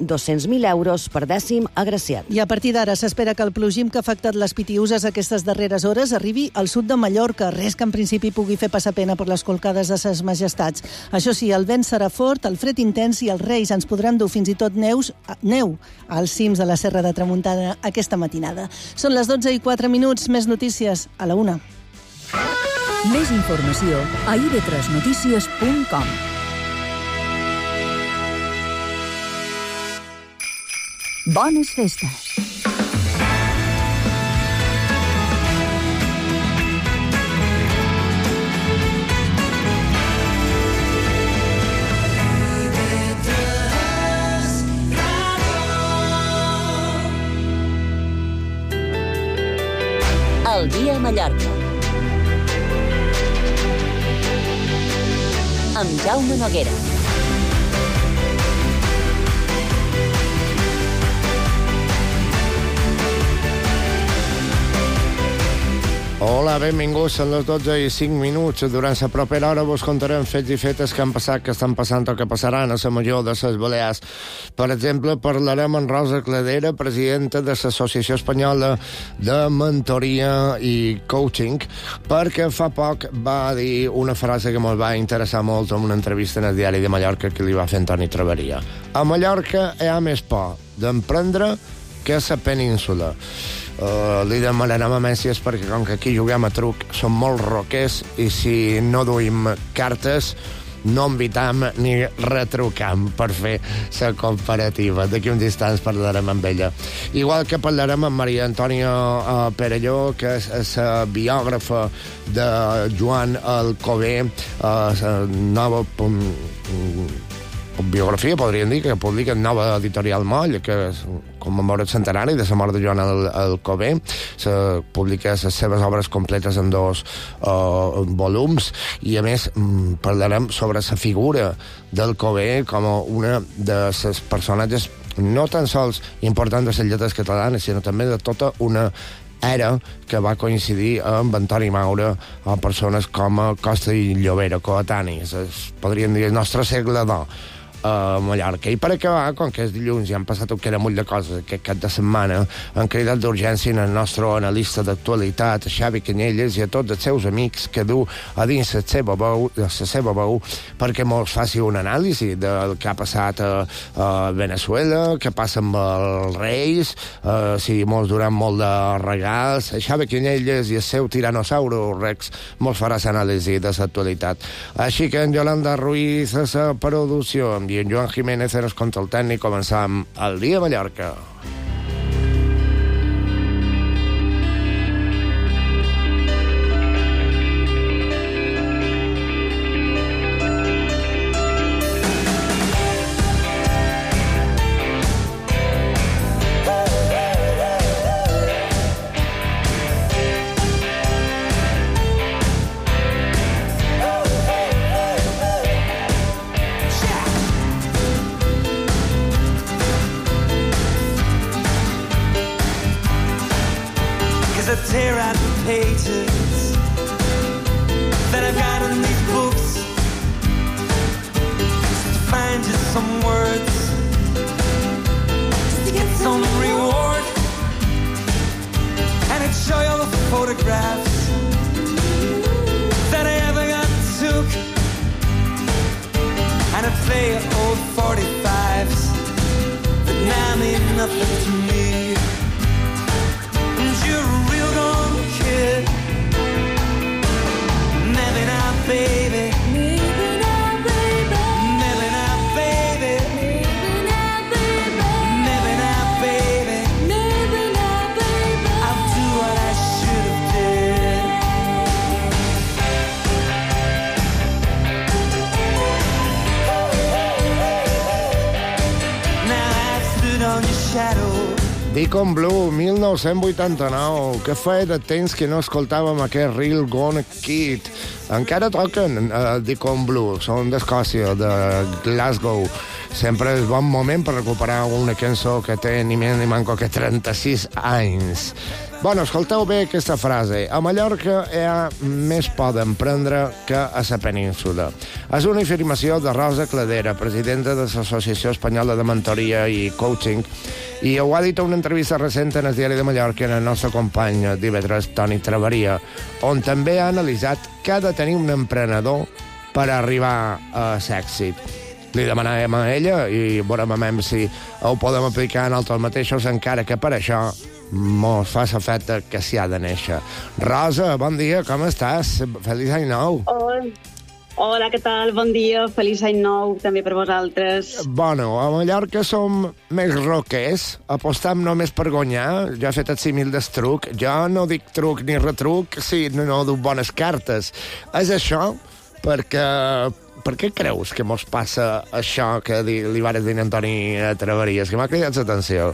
200.000 euros per 10º agraciat. I a partir d'ara s'espera que el plogim que ha afectat les Pitiüses aquestes darreres hores arribi al sud de Mallorca, res que en principi pugui fer passar pena per les colcades de ses majestats. Això sí, el vent serà fort, el fred intens i els reis ens podran dur fins i tot neu als cims de la Serra de Tramuntana aquesta matinada. Són les 12:04, més notícies a la 1. Més informació a ib3notícies.com. Bones festes. El dia a Mallorca. Amb Jaume Noguera. Hola, benvinguts. Són les 12:05. Durant la propera hora vos contarem fets i fetes que han passat, que estan passant o que passaran a la major de les Balears. Per exemple, parlarem amb Rosa Cladera, presidenta de l'Associació Espanyola de Mentoria i Coaching, perquè fa poc va dir una frase que ens va interessar molt en una entrevista en el Diari de Mallorca que li va fer Antoni Traveria. A Mallorca hi ha més por d'emprendre que a la península. Li demanarem a Mències perquè com que aquí juguem a truc som molt roquers i si no duim cartes no invitam ni retrucam per fer la comparativa. D'aquí uns instants parlarem amb ella. Igual que parlarem amb Maria Antònia Perelló, que és la biògrafa de Joan Alcover, la nova biografia, podríem dir, que publica en Nova Editorial Moll, que commemora el centenari de la mort de Joan Alcover. Se publica les seves obres completes en 2 volums i, a més, parlarem sobre la figura d'Alcover com una de les personatges no tan sols importants de les lletres catalanes, sinó també de tota una era que va coincidir amb Antoni Maura o persones com Costa i Llobera, coetanis, podríem dir el nostre segle d'or a Mallorca. I per acabar, com que és dilluns i han passat un munt de coses aquest cap de setmana, han cridat d'urgència el nostre analista d'actualitat, Xavi Canyelles, i a tots els seus amics que du a dins la seva veu perquè mos faci un anàlisi del que ha passat a Venezuela, què passa amb els reis, si mos duran molt de regals. Xavi Canyelles i el seu tiranosauro Rex mos farà l'anàlisi de l'actualitat. Així que en Yolanda Ruiz a la producció i en Joan Jiménez en el control tècnic. Començam el dia a Mallorca. Tear out the pages that I've got in these books just to find just some words, just to get some reward, and I'd show you all the photographs that I ever got took, and I'd play you old 45s that now mean nothing to me. You're a real gone kid. Maybe not, baby. Maybe not, baby. Maybe not, baby. Maybe not, baby. Maybe not, baby. Maybe not, baby. I'll do what I should have did. Now I stood on your shadow. Deacon Blue, 1989. Que feia de temps que no escoltàvem aquest Real Gone Kid. Encara toquen Deacon Blue, són d'Escòcia, de Glasgow. sempre és bon moment per recuperar una cançó que té ni més ni manco que 36 anys. Bueno, escolteu bé aquesta frase. A Mallorca hi ha més poden prendre que a la península. És una afirmació de Rosa Cladera, presidenta de l'Associació Espanyola de Mentoria i Coaching, i ho ha dit a una entrevista recent en el Diari de Mallorca en el nostre company d'IV3, Toni Traveria, on també ha analitzat què ha de tenir un emprenedor per arribar a l'èxit. Li demanàvem a ella i veurem si ho podem aplicar en altres mateixos, encara que per això mos fa l'efecte que s'hi ha de néixer. Rosa, bon dia, com estàs? Feliç any nou. Hola, què tal? Bon dia, feliç any nou també per vosaltres. Bueno, a Mallorca som més roquers, apostam només per guanyar. Jo he fet el símil del truc. Jo no dic truc ni retruc si no duc bones cartes. És això perquè... Per què creus que mos passa això que li vares dir a Antoni Traveries, que m'ha cridat l'atenció?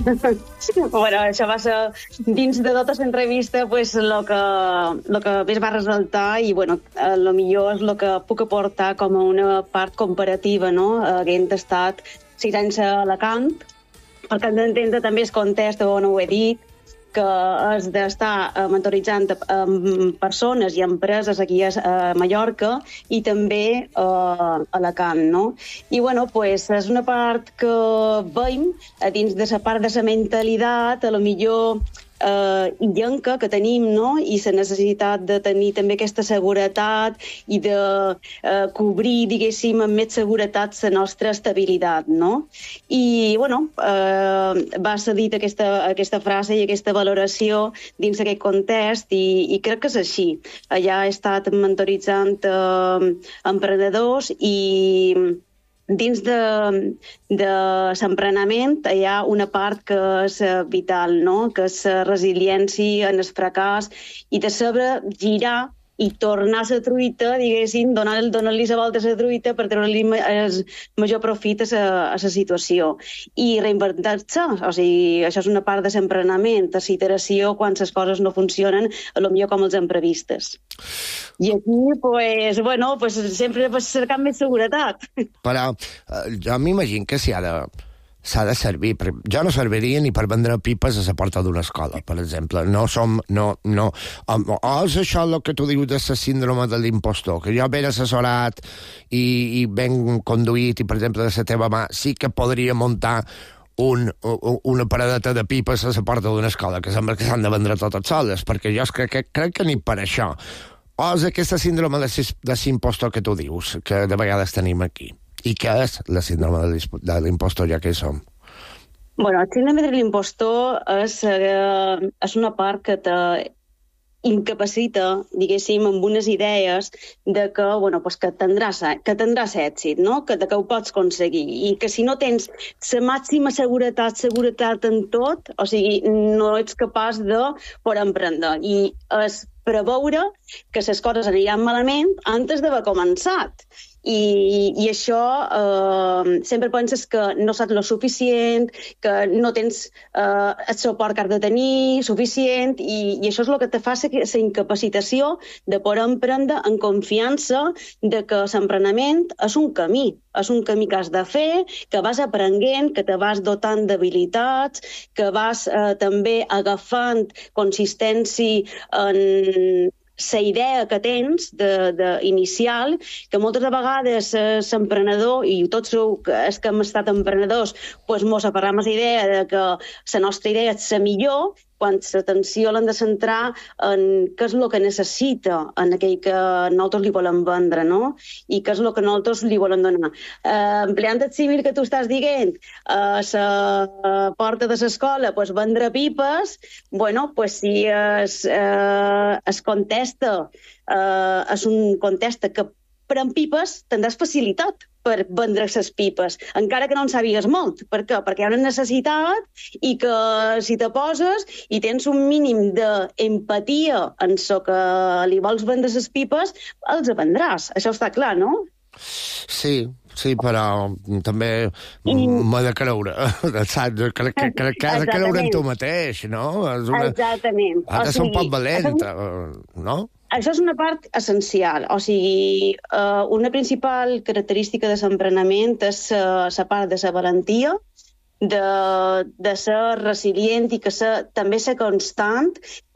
Bueno, això va ser dins de tota l'entrevista pues, lo que més va resultar i bueno, lo millor és el que puc aportar com a una part comparativa, no? Havent estat 6 anys a Alacant, perquè hem d'entendre també el context on ho he dit, que és d'estar mentoritzant persones i empreses aquí a Mallorca i també a Alacant, no? I, bueno, pues, és una part que veiem dins de la part de la mentalitat, a lo millor illenca que tenim, no? I la necessitat de tenir també aquesta seguretat i de cobrir, diguéssim, amb més seguretat la nostra estabilitat, no? I, bueno, va ser dit aquesta frase i aquesta valoració dins d'aquest context i crec que és així. Allà he estat mentoritzant emprenedors i dins de l'emprenament hi ha una part que és vital, no? Que és la resiliència en el fracàs i de saber girar i tornar a la truita, diguéssim, donar-li la volta a la truita per treure-li el major profit a la situació. I reinventar-se, o sigui, això és una part de l'emprenament, de la iteració, quan les coses no funcionen, potser com els hem previstes. I aquí, pues, bueno, pues, sempre cercant més seguretat. Però jo m'imagino que s'ha de servir. Jo no serviria ni per vendre pipes a la porta d'una escola, per exemple. No. O és això el que tu dius de la síndrome de l'impostor, que jo ben assessorat i ben conduït i, per exemple, de la teva mà, sí que podria muntar una paradeta de pipes a la porta d'una escola, que sembla que s'han de vendre totes soles, perquè jo crec que ni per això. O és aquesta síndrome de l'impostor que tu dius, que de vegades tenim aquí. I què és la síndrome de l'impostor, ja que hi som? Bueno, el síndrome de l'impostor és una part que t'incapacita, diguéssim, amb unes idees de que, bueno, pues que tindràs èxit, no? Que ho pots aconseguir. I que si no tens la màxima seguretat en tot, o sigui, no ets capaç de poder emprendre. I és preveure que les coses aniran malament antes d'haver començat. I això sempre penses que no saps lo suficient, que no tens el suport que has de tenir suficient i això és el que te fa la incapacitació de poder emprendre en confiança de que l'emprenament és un camí que has de fer, que vas aprenent, que te vas dotant d'habilitats, que vas també agafant consistència en la idea que tens inicial, que moltes vegades l'emprenedor, i tots els que hem estat emprenedors, doncs mos aferram a la idea de que la nostra idea és la millor, quan l'atenció l'hem de centrar en què és el que necessita en aquell que nosaltres li volem vendre, no? I què és el que nosaltres li volem donar. Empleant el símil que tu estàs dient, a la porta de l'escola, doncs vendre pipes, bueno, doncs si es contesta, és un contesta que pren pipes, tindràs facilitat per vendre les pipes, encara que no en sàpigues molt. Per què? Perquè hi ha una necessitat i que si te poses i tens un mínim d'empatia en el que li vols vendre les pipes, els vendràs. Això està clar, no? Sí, però també m'he de creure, saps? Crec que has de creure en tu mateix, no? Exactament. Has de ser un poc valent, no? Això és una part essencial. O sigui, una principal característica de l'emprenament és la part de la valentia, de ser resilient i també ser constant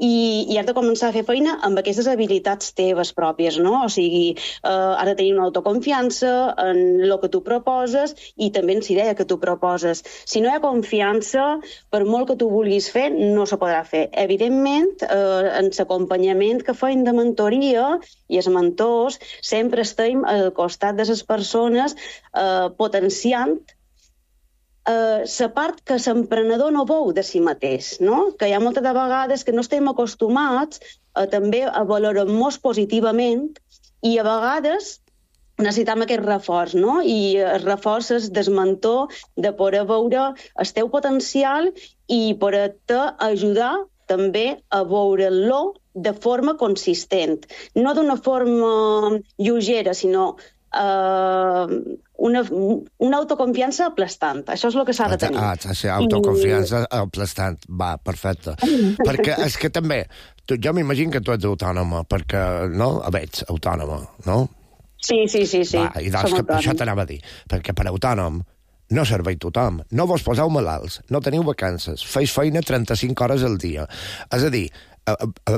i has de començar a fer feina amb aquestes habilitats teves pròpies, no? O sigui, has de tenir una autoconfiança en el que tu proposes i també en la idea que tu proposes. Si no hi ha confiança, per molt que tu vulguis fer, no se podrà fer. Evidentment, en l'acompanyament que feim de mentoria i els mentors, sempre estem al costat de les persones potenciant la part que l'emprenedor no veu de si mateix, no? Que hi ha moltes de vegades que no estem acostumats també a valorar-nos positivament i a vegades necessitem aquest reforç, no? I el reforç és del mentor de poder veure el teu potencial i poder-te ajudar també a veure-lo de forma consistent. No d'una forma lleugera, sinó una autoconfiança aplastant. Això és el que s'ha de tenir. Sí, autoconfiança aplastant. Va, perfecte. Perquè és que també, jo m'imagino que tu ets autònoma, perquè, no? Ets autònoma, no? Sí. Va, i doncs que això t'anava a dir. Perquè per autònom no serveix tothom. No vos poseu malalts, no teniu vacances, feis feina 35 hores al dia. És a dir,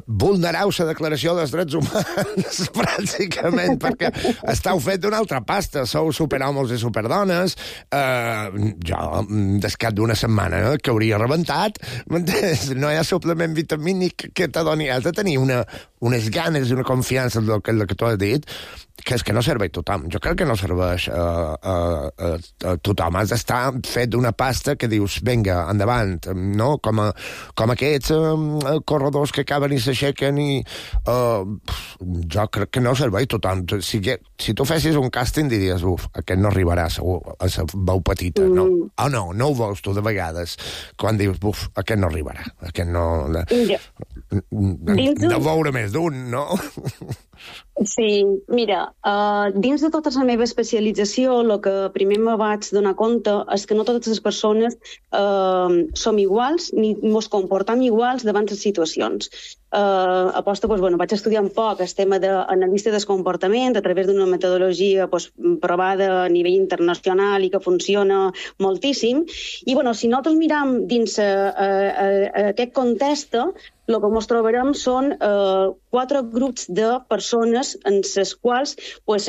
vulnereu la declaració dels drets humans, pràcticament, perquè esteu fet d'una altra pasta, sou superhomes i superdones, jo, des cap d'una setmana que hauria rebentat, no hi ha suplement vitamínic que t'adoni, has de tenir unes ganes i una confiança en el que tu has dit, que és que no serveix tothom. Jo crec que no serveix a tothom. Has d'estar fet d'una pasta que dius, vinga, endavant, no? Com aquests corredors que acaben i s'aixequen i... jo crec que no serveix tothom. Si tu fessis un càsting diries, aquest no arribarà segur a la veu petita, no? No ho veus tu de vegades, quan dius, aquest no arribarà, aquest no... De veure més d'un, no? Sí, mira, dins de tota la meva especialització, el que primer me vaig donar compte és que no totes les persones som iguals ni ens comportem iguals davant les situacions. Vaig estudiar un poc el tema d'analista del comportament a través d'una metodologia provada a nivell internacional i que funciona moltíssim. I si nosaltres miram dins aquest context, el que ens trobarem són 4 grups de persones en les quals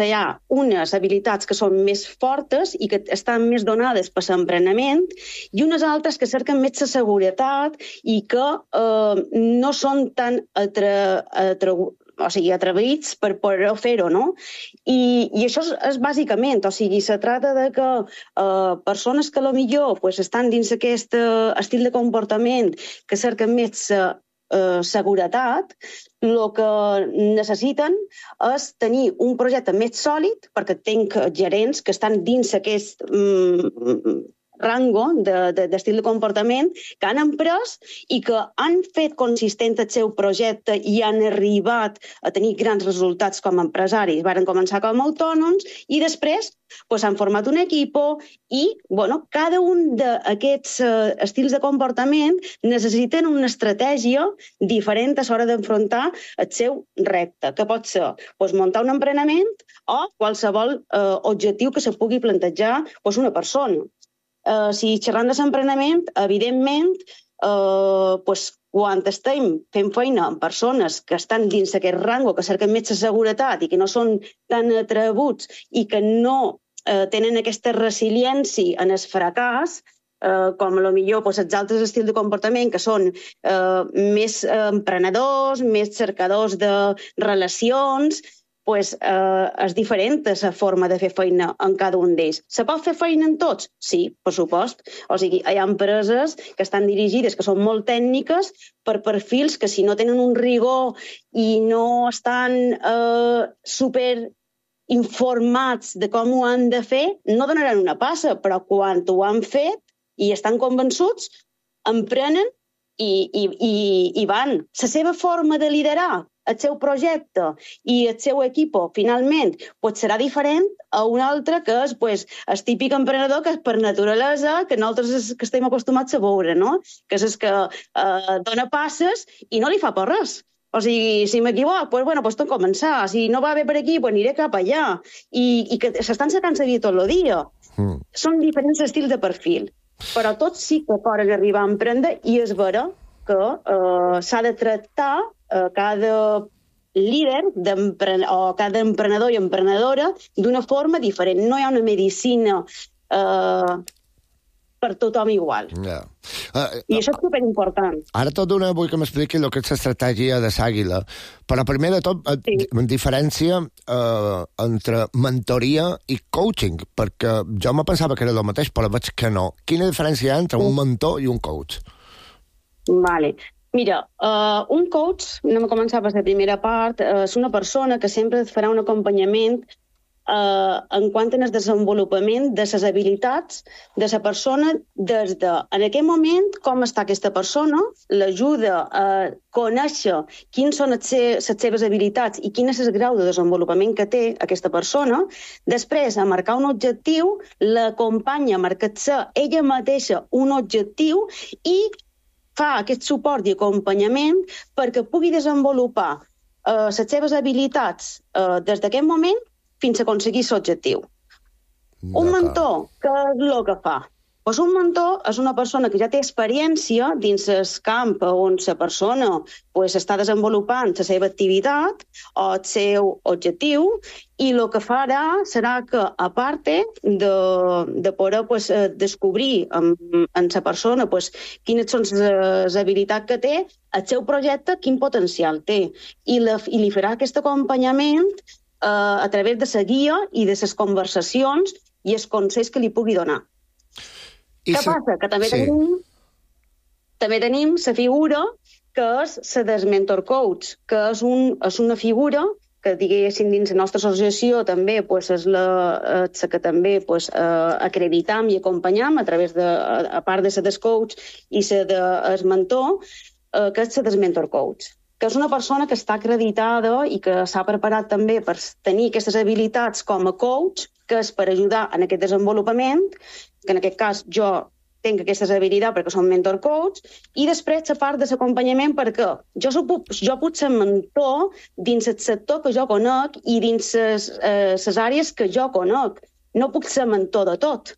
hi ha unes habilitats que són més fortes i que estan més donades per l'emprenament i unes altres que cerquen més la seguretat i que no són tan atrevits per poder fer-ho, no? I això és bàsicament, se tracta de que persones que potser estan dins aquest estil de comportament que cerquen més seguretat, el que necessiten és tenir un projecte més sòlid, perquè tinc gerents que estan dins aquest rango d'estil de comportament que han emprès i que han fet consistent el seu projecte i han arribat a tenir grans resultats com a empresaris. Varen començar com a autònoms i després han format un equip i cada un d'aquests estils de comportament necessiten una estratègia diferent a l'hora d'enfrontar el seu repte, que pot ser muntar un emprenament o qualsevol objectiu que se pugui plantejar una persona. Si xerrant de l'emprenament, evidentment, quan estem fent feina amb persones que estan dins aquest rango, que cerquen més seguretat i que no són tan atrebuts i que no tenen aquesta resiliència en el fracàs, com potser els altres estils de comportament que són més emprenedors, més cercadors de relacions, és diferent la forma de fer feina en cada un d'ells. Se pot fer feina en tots? Sí, per supost. O sigui, hi ha empreses que estan dirigides, que són molt tècniques, per perfils que si no tenen un rigor i no estan super informats de com ho han de fer, no donaran una passa, però quan ho han fet i estan convençuts, emprenen i van. La seva forma de liderar el seu projecte i el seu equip, finalment, serà diferent a un altre que és el típic emprenedor que és per naturalesa, que nosaltres que estem acostumats a veure, no? Que és el que dona passes i no li fa por res. O sigui, si m'equivoc, doncs tot començar. Si no va bé per aquí, aniré cap allà. I que s'estan sacant la vida tot el dia. Són diferents estils de perfil. Però tots sí que poden arribar a emprendre i és vera que s'ha de tractar cada líder o cada emprenedor i emprenedora d'una forma diferent. No hi ha una medicina per tothom igual. Yeah. I això és superimportant. Ara tot d'una vull que m'expliqui el que és l'estratègia de l'Àguila. Però primer de tot, diferència entre mentoria i coaching, perquè jo me pensava que era el mateix, però veig que no. Quina diferència hi ha entre un mentor i un coach? Vale. Mira, un coach, anem a començar per la primera part, és una persona que sempre et farà un acompanyament en quant al desenvolupament de les habilitats de la persona des de, en aquest moment, com està aquesta persona, l'ajuda a conèixer quines són les seves habilitats i quin és el grau de desenvolupament que té aquesta persona, després a marcar un objectiu, l'acompanya a marcar-se ella mateixa un objectiu i fa aquest suport i acompanyament perquè pugui desenvolupar les seves habilitats des d'aquest moment fins a aconseguir l'objectiu. Un mentor, què és el que fa? Doncs un mentor és una persona que ja té experiència dins el camp on la persona està desenvolupant la seva activitat o el seu objectiu i el que farà serà que, a part de poder descobrir en la persona quines són les habilitats que té, el seu projecte quin potencial té i li farà aquest acompanyament a través de la guia i de les conversacions i els consells que li pugui donar. Què passa? Que també tenim la figura que és la del mentor coach, que és una figura que, diguéssim, dins la nostra associació també és la que també acreditam i acompanyam a través de, a part de la del coach i la del mentor, que és la del mentor coach, que és una persona que està acreditada i que s'ha preparat també per tenir aquestes habilitats com a coach, que és per ajudar en aquest desenvolupament, que en aquest cas jo tinc aquestes habilitats perquè som mentor coach, i després la part de l'acompanyament perquè jo puc ser mentor dins el sector que jo conec i dins les àrees que jo conec. No puc ser mentor de tot.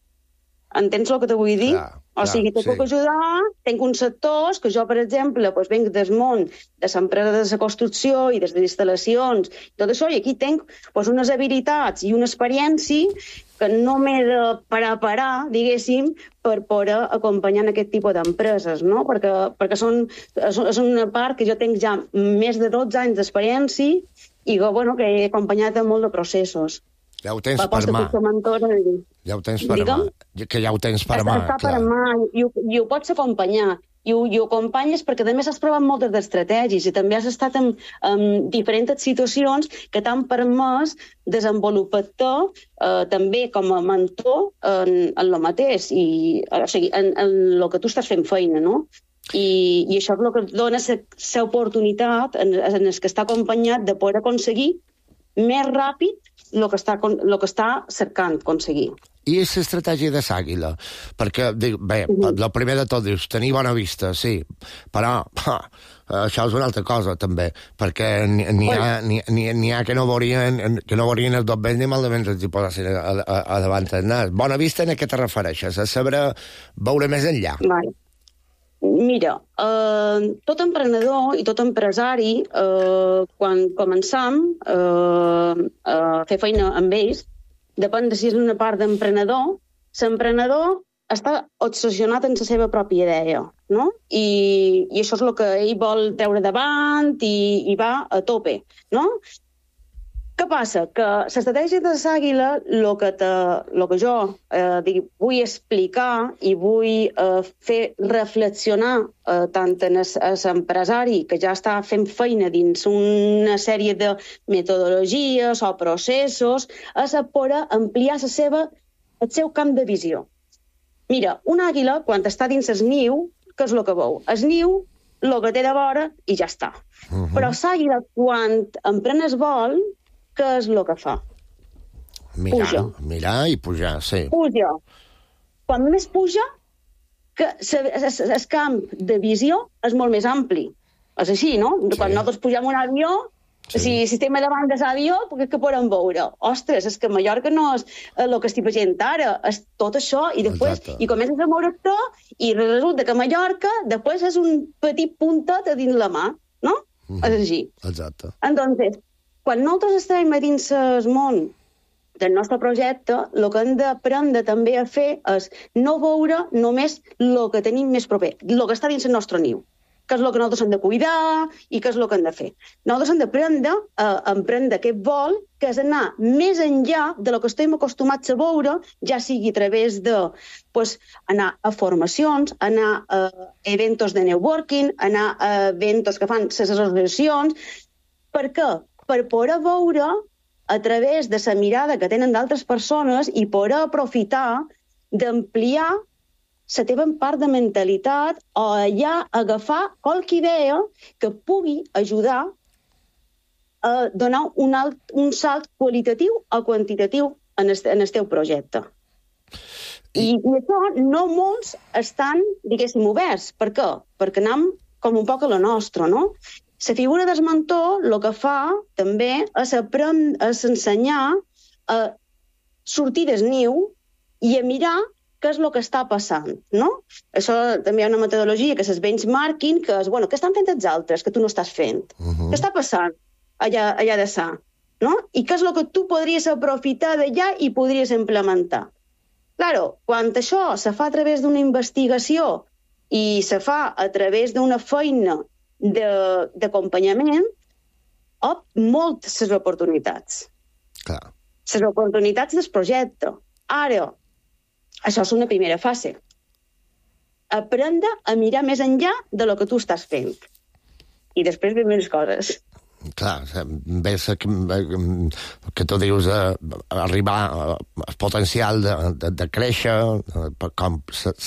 Entens el que te vull dir? O sigui, te puc ajudar, tinc uns sectors que jo, per exemple, venc del món de l'empresa de la construcció i des de les instal·lacions, tot això, i aquí tinc unes habilitats i una experiència que no m'he de parar, diguéssim, per poder acompanyar en aquest tipus d'empreses, no? Perquè és una part que jo tinc ja més de 12 anys d'experiència i que he acompanyat en molt de processos. Ja ho tens per mà. Ja ho tens per mà. Que ja ho tens per mà. Està per mà i ho pots acompanyar. I ho acompanyes perquè a més has provat moltes d'estratègies i també has estat en diferents situacions que t'han permès desenvolupar-te també com a mentor en el mateix, o sigui, en el que tu estàs fent feina, no? I això és el que dona l'oportunitat en el que està acompanyat de poder aconseguir més ràpid el que està cercant aconseguir. I és l'estratègia de l'Àguila? Perquè, bé, el primer de tot dius, tenir bona vista, sí, però això és una altra cosa, també, perquè n'hi ha que no veurien els dos vells ni malament els hi posessin a davant del nas. Bona vista, en què te refereixes? A saber veure més enllà? Vale. Mira, tot emprenedor i tot empresari, quan començam a fer feina amb ells, depèn de si és una part d'emprenedor, l'emprenedor està obsessionat en la seva pròpia idea, no? I això és el que ell vol treure davant i va a tope, no? Què passa? Que l'estratègia de l'Àguila, el que jo vull explicar i vull fer reflexionar tant en l'empresari que ja està fent feina dins una sèrie de metodologies o processos, és poder ampliar el seu camp de visió. Mira, una àguila, quan està dins el niu, què és el que veu? El niu, el que té de vora, i ja està. Però l'àguila, quan emprèn el vol, què és el que fa? Mirar i pujar, sí. Puja. Quan més puja, el camp de visió és molt més ampli. És així, no? Sí. Quan nosaltres pugem un avió, si estem davant de l'avió, què podem veure? Ostres, és que Mallorca no és el que estic veient ara, és tot això, i després Exacte. i comences a moure-te, i resulta que Mallorca després és un petit puntet a dins la mà, no? És així. Exacte. Entonces, quan nosaltres estem a dins el món del nostre projecte, el que hem d'aprendre també a fer és no veure només el que tenim més proper, el que està dins el nostre niu, que és el que nosaltres hem de cuidar i que és el que hem de fer. Nosaltres hem d'aprendre a emprendre aquest vol, que és anar més enllà de lo que estem acostumats a veure, ja sigui a través de anar a formacions, anar a eventos de networking, anar a eventos que fan les associacions. Per què? Per poder veure a través de la mirada que tenen d'altres persones i poder aprofitar d'ampliar la teva part de mentalitat o allà agafar qualque idea que pugui ajudar a donar un salt qualitatiu o quantitatiu en el teu projecte. I això no molts estan, diguéssim, oberts. Per què? Perquè anem com un poc a la nostra, no? La figura del mentor el que fa també és ensenyar a sortir del niu i a mirar què és el que està passant, no? Això també hi ha una metodologia que és el benchmarking, que és, bueno, què estan fent els altres que tu no estàs fent? Què està passant allà de sa? No? I què és el que tu podries aprofitar d'allà i podries implementar? Claro, quan això se fa a través d'una investigació i se fa a través d'una feina d'acompanyament, moltes les oportunitats. Clar. Les oportunitats del projecte. Ara, això és una primera fase. Aprendre a mirar més enllà de lo que tu estàs fent. I després ven més coses. Clar, ves que tu dius arribar al potencial de créixer, com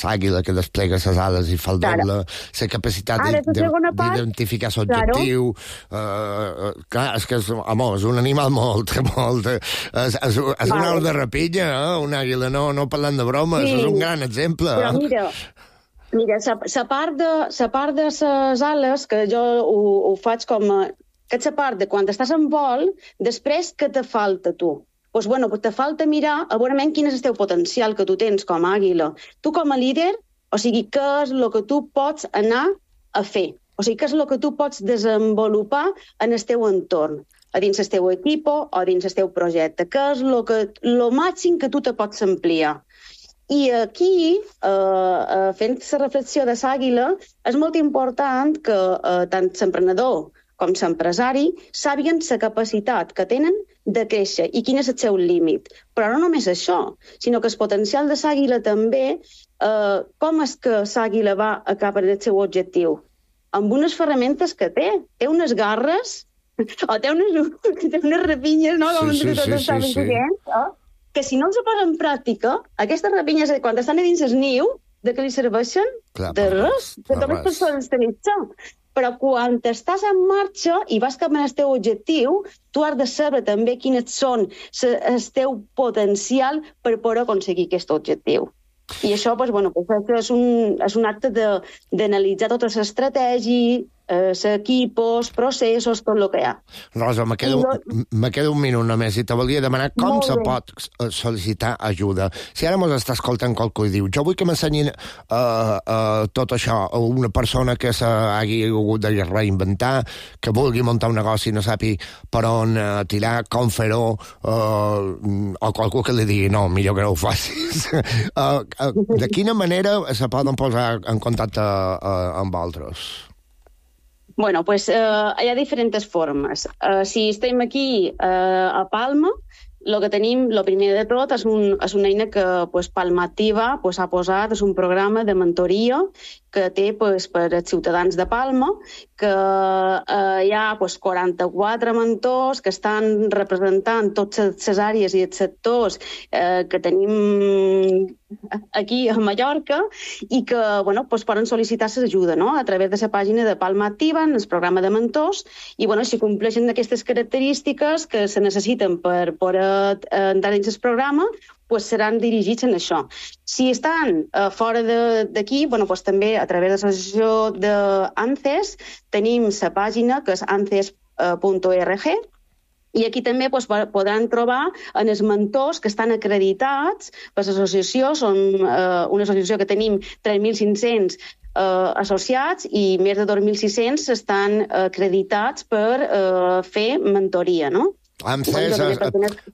l'àguila que desplega les ales i fa el doble, la capacitat d'identificar l'objectiu. Clar, és que és un animal molt... És una au de rapinya, una àguila, no parlant de bromes, és un gran exemple. Però mira, la part de les ales, que jo ho faig com aquesta part de quan estàs en vol, després què te falta tu? Doncs, bueno, te falta mirar a veure quin és el teu potencial que tu tens com a àguila. Tu com a líder, o sigui, què és el que tu pots anar a fer? O sigui, què és el que tu pots desenvolupar en el teu entorn, a dins el teu equip o dins el teu projecte? Què és el màxim que tu te pots ampliar? I aquí, fent la reflexió de l'àguila, és molt important que tant l'emprenedor com l'empresari sàpiguen la capacitat que tenen de créixer i quin és el seu límit. Però no només això, sinó que el potencial de l'àguila també, com és que l'àguila va a cap al seu objectiu? Amb unes ferramentes que té. Té unes garres, o té unes rapinyes, no? Que si no els posa en pràctica, aquestes rapinyes, quan estan a dins el niu, de què li serveixen? De res. De totes les persones tenen això. Però quan estàs en marxa i vas cap al teu objectiu, tu has de saber també quins són el teu potencial per poder aconseguir aquest objectiu. I això és un acte d'analitzar totes les estratègies, equipos, processos, tot el que hi ha. Rosa, me queda un minut només i te volia demanar com se pot sol·licitar ajuda. Si ara mos està escoltant qualcú i diu jo vull que m'ensenyin tot això a una persona que s'hagi hagut de reinventar, que vulgui muntar un negoci i no sapi per on tirar, com fer-ho, o qualcú que li digui no, millor que no ho facis. De quina manera se poden posar en contacte amb vosaltres? Bueno, pues hi ha diferents formes. Si estem aquí a Palma, el que tenim, el primer de tot, és una eina que Palma Activa ha posat, és un programa de mentoria que té per als ciutadans de Palma, que hi ha 44 mentors que estan representant totes les àrees i els sectors que tenim aquí a Mallorca i que poden sol·licitar l'ajuda a través de la pàgina de Palma Activa, en el programa de mentors, i si compleixen aquestes característiques que se necessiten per poder entrar dins el programa, pues seran dirigits en això. Si estan fora d'aquí, bueno, pues també a través de l'associació d'ANCES tenim la pàgina que és ances.org, i aquí també podran trobar en els mentors que estan acreditats per l'associació. Són una associació que tenim 3.500 associats i més de 2.600 estan acreditats per fer mentoria, no? ANCES,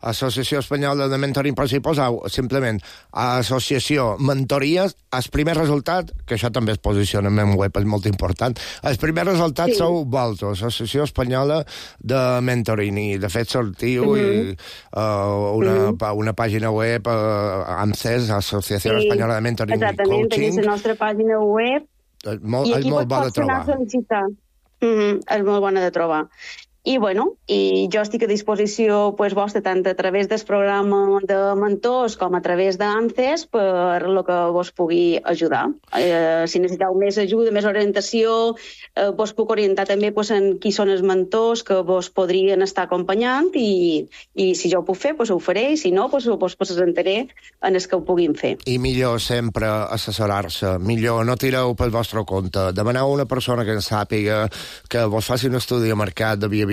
Associació Espanyola de Mentoring, però si poseu simplement associació mentories, el primer resultat, que això també es posiciona en web, és molt important, el primer resultat sou vosaltres, Associació Espanyola de Mentoring, i de fet sortiu una pàgina web, ANCES, Associació Espanyola de Mentoring i Coaching. Exactament, tenim la nostra pàgina web i aquí molt bona de trobar. És molt bona de trobar. I, bueno, jo estic a disposició vostra tant a través del programa de mentors com a través d'ANCES per lo que vos pugui ajudar. Si necessiteu més ajuda, més orientació, vos puc orientar també en qui són els mentors que vos podrien estar acompanyant i si jo ho puc fer, ho faré, i si no, vos presentaré en els que ho puguin fer. I millor sempre assessorar-se, millor no tireu pel vostre compte, demaneu a una persona que en sàpiga, que vos faci un estudi de mercat, de viabilitat,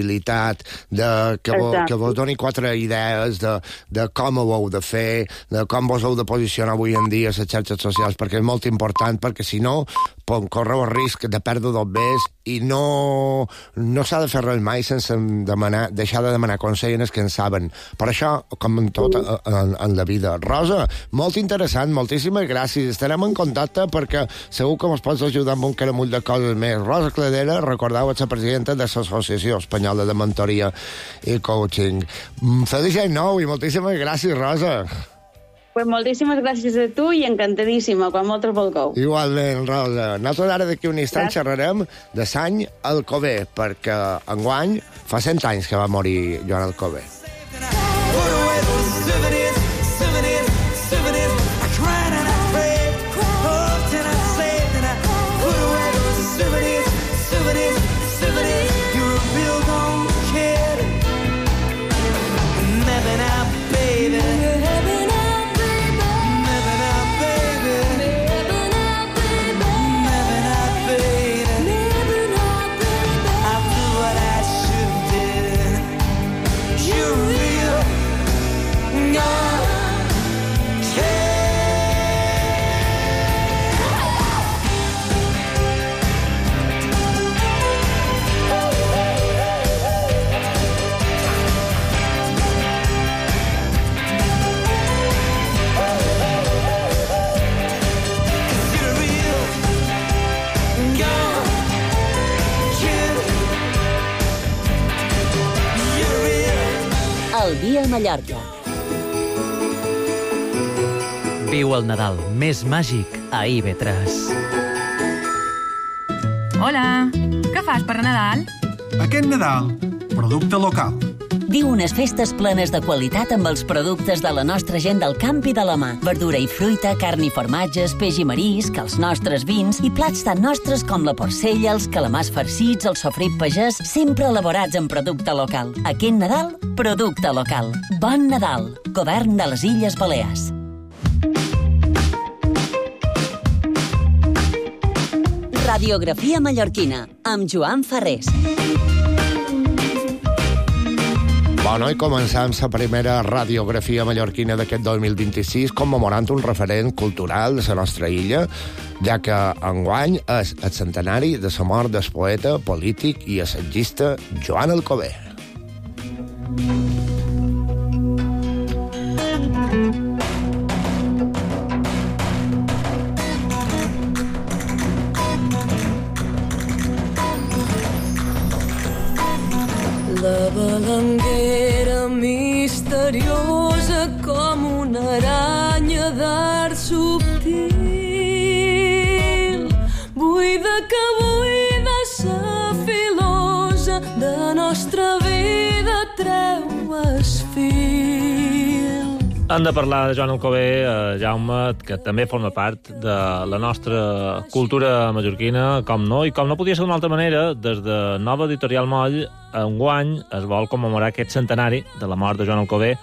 que vos doni 4 idees de com ho heu de fer, de com vos heu de posicionar avui en dia a les xarxes socials, perquè és molt important, perquè si no correu el risc de perdre dobbers i no s'ha de fer res mai sense deixar de demanar consell als que en saben. Per això, com en tot en la vida. Rosa, molt interessant, moltíssimes gràcies. Estarem en contacte perquè segur que ens pots ajudar amb un caramull de coses més. Rosa Cladera, recordeu, és la presidenta de l'Associació Espanyola de Mentoria i Coaching. Feliç any nou i moltíssimes gràcies, Rosa. Moltíssimes gràcies a tu i encantadíssima, quan moltes vulgueu. Igualment, Rosa. Nosaltres ara d'aquí un instant xerrarem de Sant Alcover, perquè enguany fa 100 anys que va morir Joan Alcover. El dia a Mallorca. Viu el Nadal més màgic a IB3. Hola, què fas per Nadal? Aquest Nadal, producte local. Viu unes festes plenes de qualitat amb els productes de la nostra gent del camp i de la mà. Verdura i fruita, carn i formatges, peix i marisc, els nostres vins i plats tan nostres com la porcella, els calamars farcits, el sofrit pagès, sempre elaborats en producte local. Aquest Nadal, producte local. Bon Nadal. Govern de les Illes Balears. Radiografia mallorquina, amb Joan Ferrés. Bueno, i començam la primera radiografia mallorquina d'aquest 2026 commemorant un referent cultural de la nostra illa, ja que enguany és el centenari de la mort del poeta, polític i assagista Joan Alcover. La balanguera misteriosa com una aranya d'art subtil, buida que buida sa filosa de nostra vida treu es fil. Hem de parlar de Joan Alcover, Jaume, que també forma part de la nostra cultura mallorquina, com no, i com no podia ser d'una altra manera, des de Nova Editorial Moll, enguany es vol commemorar aquest centenari de la mort de Joan Alcover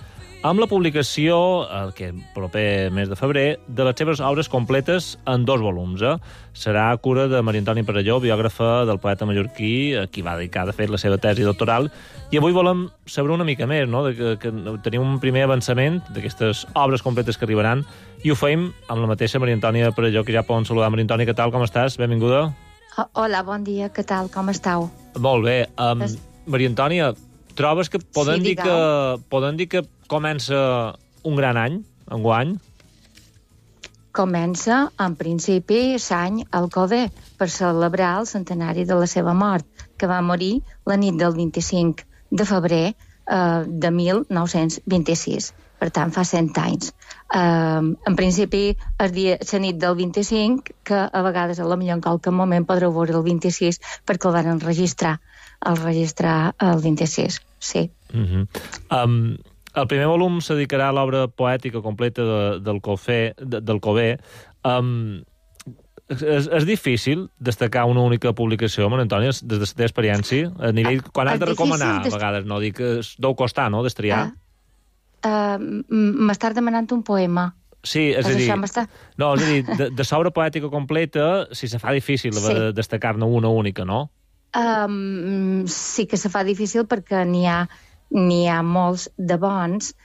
amb la publicació, que proper mes de febrer, de les seves obres completes en 2 volums. Serà a cura de Maria Antònia Perelló, biògrafa del poeta mallorquí, a qui va dedicar, de fet, la seva tesi doctoral. I avui volem saber una mica més, no?, que tenim un primer avançament d'aquestes obres completes que arribaran, i ho feim amb la mateixa Maria Antònia Perelló, que ja poden saludar. Maria Antònia, què tal, com estàs? Benvinguda. Hola, bon dia, què tal, com estàu? Molt bé. Maria Antònia, trobes que poden dir que comença un gran any, enguany? Comença, en principi, l'any Alcover, per celebrar el centenari de la seva mort, que va morir la nit del 25 de febrer de 1926. Per tant, fa 100 anys. En principi, la nit del 25, que a vegades, a lo millor en qualque moment, podreu veure el 26, perquè el van registrar el 26, sí. El primer volum se dedicarà a l'obra poètica completa del Cover. És difícil destacar una única publicació, Maria Antònia, des de la teva experiència? A nivell, quan has de recomanar, a vegades, no? Dic que deu costar, no?, destriar. M'estàs demanant un poema. Sí, és a dir... No, és a dir, de l'obra poètica completa, si se fa difícil destacar-ne una única, no? Sí que se fa difícil perquè n'hi ha molts de bons.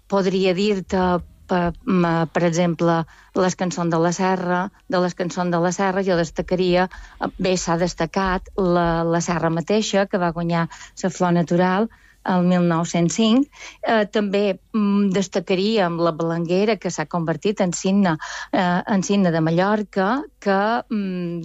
Podria dir-te, per exemple, les cançons de la Serra. De les cançons de la Serra jo destacaria, bé, s'ha destacat la Serra mateixa, que va guanyar la Flor Natural el 1905. També destacaríem la Balanguera, que s'ha convertit en signe de Mallorca, que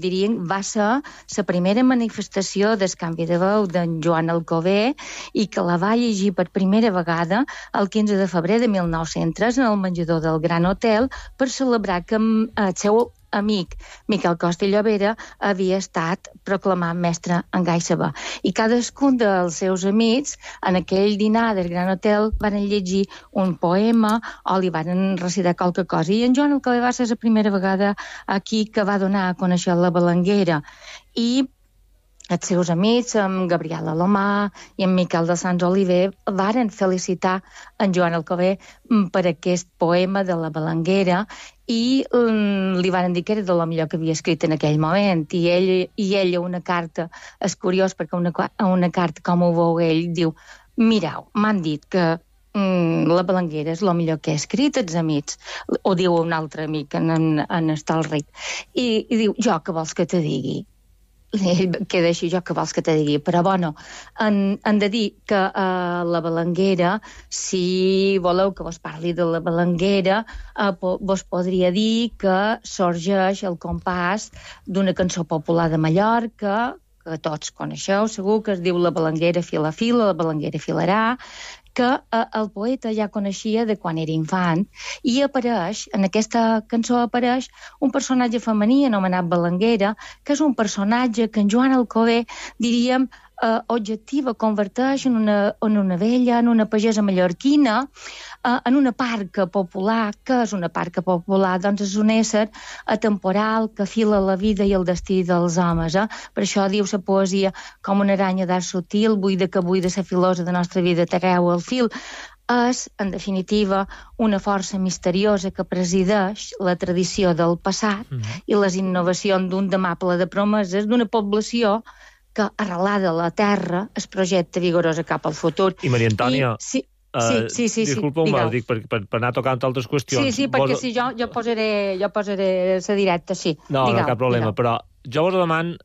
diríem va ser la primera manifestació del canvi de veu d'en Joan Alcover i que la va llegir per primera vegada el 15 de febrer de 1903 en el menjador del Gran Hotel per celebrar que el seu amic Miquel Costa i Llobera havia estat proclamat mestre en gai saber. I cadascun dels seus amics, en aquell dinar del Gran Hotel, van llegir un poema o li van recitar qualque cosa. I en Joan Alcover va ser la primera vegada aquí que va donar a conèixer la Balanguera. I els seus amics, en Gabriel Alomà i en Miquel de Sants Oliver, varen felicitar en Joan Alcover per aquest poema de la Balanguera i li van dir que era de lo millor que havia escrit en aquell moment. I ell una carta, és curiós perquè una carta, com ho veu ell, diu: mireu, m'han dit que la Balanguera és el millor que he escrit, els amics. Ho diu un altre amic, en Estalric. I diu: jo què vols que te digui? Ell queda així, jo què vols que te digui? Però, bueno, han de dir que la Balanguera, si voleu que vos parli de la Balanguera, vos podria dir que sorgeix el compàs d'una cançó popular de Mallorca, que tots coneixeu, segur, que es diu La Balanguera fila fila, la Balanguera filarà, que el poeta ja coneixia de quan era infant, i apareix, en aquesta cançó apareix un personatge femení anomenat Balanguera, que és un personatge que en Joan Alcover, diríem, objectiva, converteix en una vella, en una pagesa mallorquina, en una parca popular. Què és una parca popular? Doncs és un ésser atemporal que fila la vida i el destí dels homes. Per això diu la poesia com una aranya d'art sutil, buida que buida la filosa de la nostra vida treu el fil. És, en definitiva, una força misteriosa que presideix la tradició del passat i les innovacions d'un demà ple de promeses d'una població que, arrelada a la terra, es projecta vigorosa cap al futur. I Maria Antònia, sí. Disculpa-me, dic, per anar tocant altres qüestions. Sí, perquè si jo posaré la directa, sí. No, cap problema, però jo vos demano,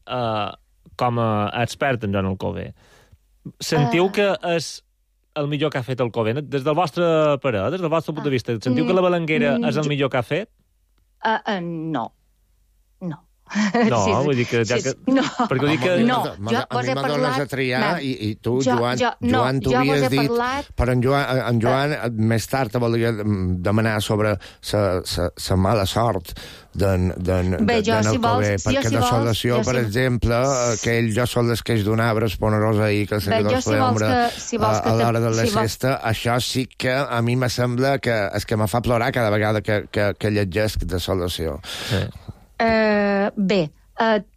com a expert en Joan Alcover, sentiu que és el millor que ha fet Alcover? Des del vostre parer, des del vostre punt de vista, sentiu que la Balanguera és el millor que ha fet? No. No, vull dir que... No, perquè vull dir que... No, jo vos he parlat... A triar, i tu, Joan, t'ho havies dit... Però en Joan més tard te volia demanar sobre la mala sort d'en Alcover, perquè de Solació, per exemple, que ell ja sol les queix d'un arbre esponerós ahir, que el seguidor es l'ombra a l'hora de la sesta, això sí que a mi me sembla que és que me fa plorar cada vegada que llegesc de Solació. Bé,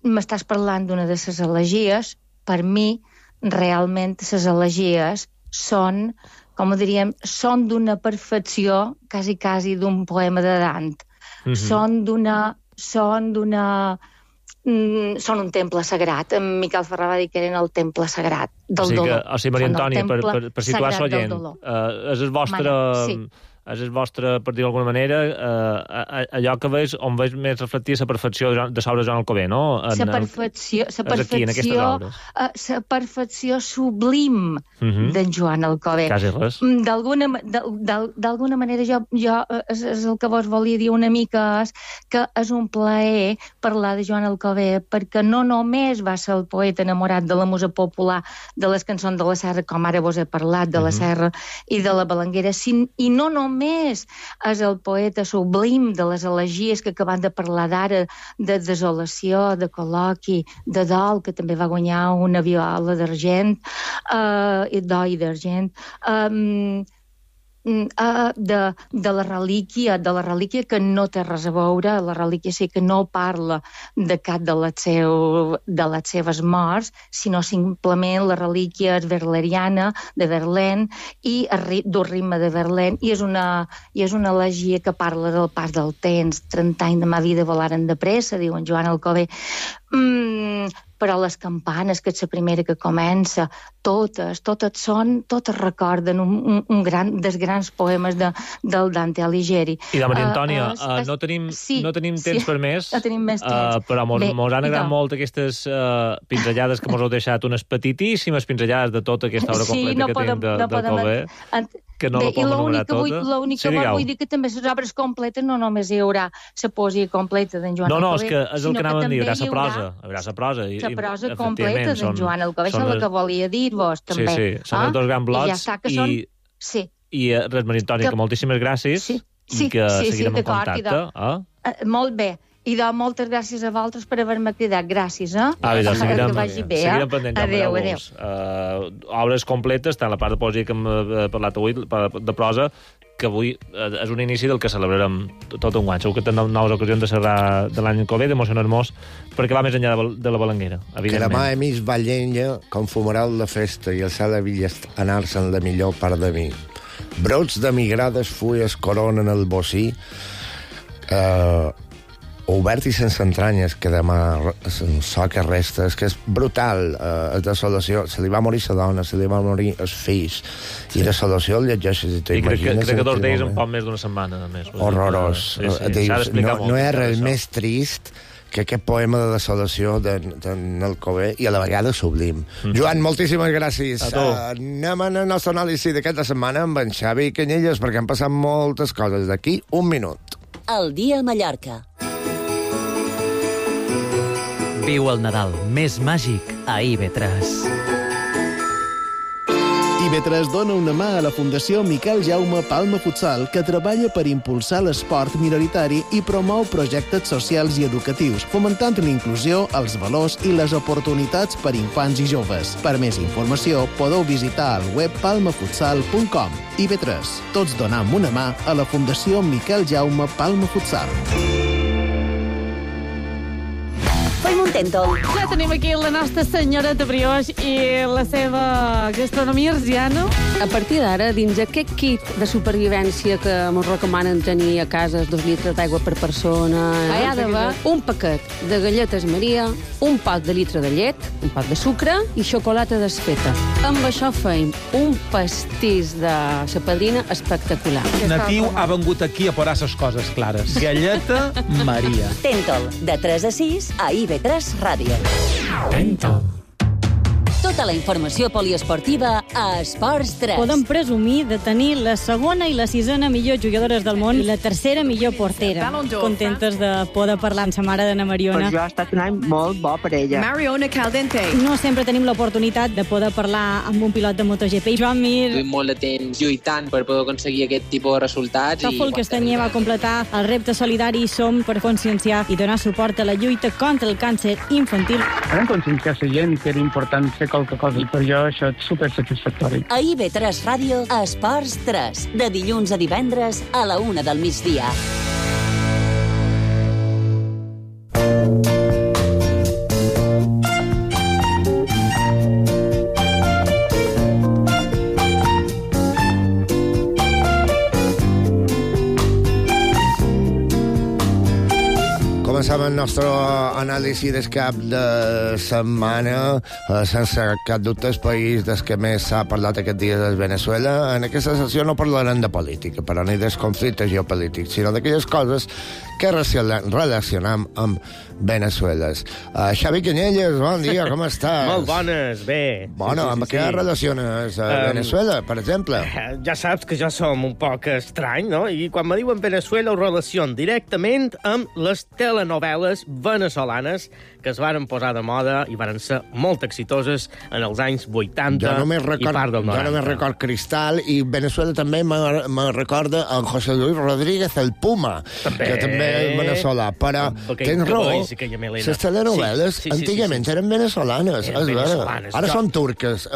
m'estàs parlant d'una de les elegies. Per mi, realment, les elegies són, com ho diríem, són d'una perfecció quasi d'un poema de Dant. Són un temple sagrat. En Miquel Ferrà va dir que eren el temple sagrat del dolor. O sigui, Maria Antònia, per situar l'oient, és el vostre, per dir d'alguna manera, allò que veus, on veus més reflectir la perfecció de l'obra de Joan Alcover, no? La perfecció sublim d'en Joan Alcover. Quasi res. D'alguna manera, jo és el que vos volia dir una mica, és que és un plaer parlar de Joan Alcover, perquè no només va ser el poeta enamorat de la musa popular, de les cançons de la Serra, com ara vos he parlat, de la Serra i de la Belenguera, i no només és el poeta sublim de les elegies que acabem de parlar d'ara, de desolació, de col·loqui, de dol, que també va guanyar una viola d'argent, d'or i d'argent, de la relíquia que no té res a veure, la relíquia sí que no parla de cap de les seves morts, sinó simplement la relíquia és verleriana, de Verlaine, i d'un ritme de Verlaine, i és una elegia que parla del pas del temps. 30 anys de ma vida volaren de pressa, diu en Joan Alcover. Però les campanes, que és la primera que comença, totes recorden dels grans poemes del Dante Alighieri. I de Maria Antònia, no tenim temps per més, però mos han agradat molt aquestes pinzellades que mos heu deixat, unes petitíssimes pinzellades de tota aquesta obra completa que tenim d'Alcover, que no la podem enumerar tota. L'únic que vull dir que també les obres completes no només hi haurà la poesia completa d'en Joan Alcover, no, és que és el que anàvem a dir, hi haurà la prosa. La prosa completa d'en Joan Alcover, això és el que volia dir-vos, també. Sí, són els dos grans blocs, i res, Maria Antònia, que moltíssimes gràcies, i que seguirem en contacte. Molt bé. I moltes gràcies a vosaltres per haver-me cridat. Gràcies, seguirem pendent. Adéu. Obres completes, tant la part de poesia que hem parlat avui, de prosa, que avui és un inici del que celebrarem tot un any. Segur que tindrem noves ocasions de cerrar de l'any Alcover, d'emocionar-nos, perquè va més enllà de la Belenguera, evidentment. Que demà hem vist Ballenya com fumeral de festa i el cel havia anar-se'n la millor part de mi. Brots de migrades fulles coronen el bocí, obert i sense entranyes, que demà so que resta, és que és brutal, és desolació. Se li va morir la dona, se li va morir els fills, i desolació el llegeixes i t'imagines... I crec que 2 dies en poc més d'una setmana, a més. Horrorós. No hi ha res més trist que aquest poema de desolació d'en Alcover, i a la vegada sublim. Joan, moltíssimes gràcies. Anem a la nostra anàlisi d'aquesta setmana amb en Xavi Canyelles, perquè han passat moltes coses. D'aquí un minut. El dia a Mallorca. Viu el Nadal més màgic a IB3. IB3 dona una mà a la Fundació Miquel Jaume Palma Futsal, que treballa per impulsar l'esport minoritari i promou projectes socials i educatius, fomentant la inclusió, els valors i les oportunitats per infants i joves. Per més informació, podeu visitar el web palmafutsal.com. IB3, tots donam una mà a la Fundació Miquel Jaume Palma Futsal. Ja tenim aquí la nostra senyoreta Brioix i la seva gastronomia arsiana. A partir d'ara, dins aquest kit de supervivència que ens recomanen tenir a casa 2 litres d'aigua per persona, hi ha d'haver un paquet de galletes Maria, un pot de litre de llet, un pot de sucre i xocolata desfeta. Amb això feim un pastís de sa padrina espectacular. Natiu ha vengut aquí a posar ses coses clares. Galleta Maria. Tentol, de 3 a 6 a IB3 Ràdio. Tentol. Tota la informació poliesportiva a Esports 3. Podem presumir de tenir la segona i la sisena millor jugadores del món i la tercera millor portera. Contentes de poder parlar amb sa mare d'Anna Mariona. Per jo ha estat un any molt bo per ella. Mariona Caldente. No sempre tenim l'oportunitat de poder parlar amb un pilot de MotoGP. Joan Mir. Duim molt de temps lluitant per poder aconseguir aquest tipus de resultats. Tòfol Castanyer va completar el repte solidari Som per conscienciar i donar suport a la lluita contra el càncer infantil. Vam conscienciar la gent que era important fer qualque cosa i per jo això és supersatisfactori. A IB3 Ràdio, Esports 3, de dilluns a divendres a la 1 del migdia. comencem el nostre anàlisi del cap de setmana. Sense cap dubte, el país del que més s'ha parlat aquest dia és Venezuela. En aquesta sessió no parlarem de política, però ni dels conflictes geopolítics, sinó d'aquelles coses que relacionem amb Venezuela. Xavi Canyelles, bon dia, com estàs? Molt bones, bé. Bueno, amb què relaciones Venezuela, per exemple? Ja saps que jo som un poc estrany, no? I quan me diuen Venezuela ho relaciono directament amb les telenovel·les venezolanes que es varen posar de moda i varen ser molt exitoses en els anys 80 i part del 90. Jo només record Cristal i Venezuela també me recorda en José Luis Rodríguez, el Puma, que també és venezolà. Però tens raó, les telenovel·les antigament eren venezolanes. Ara són turques,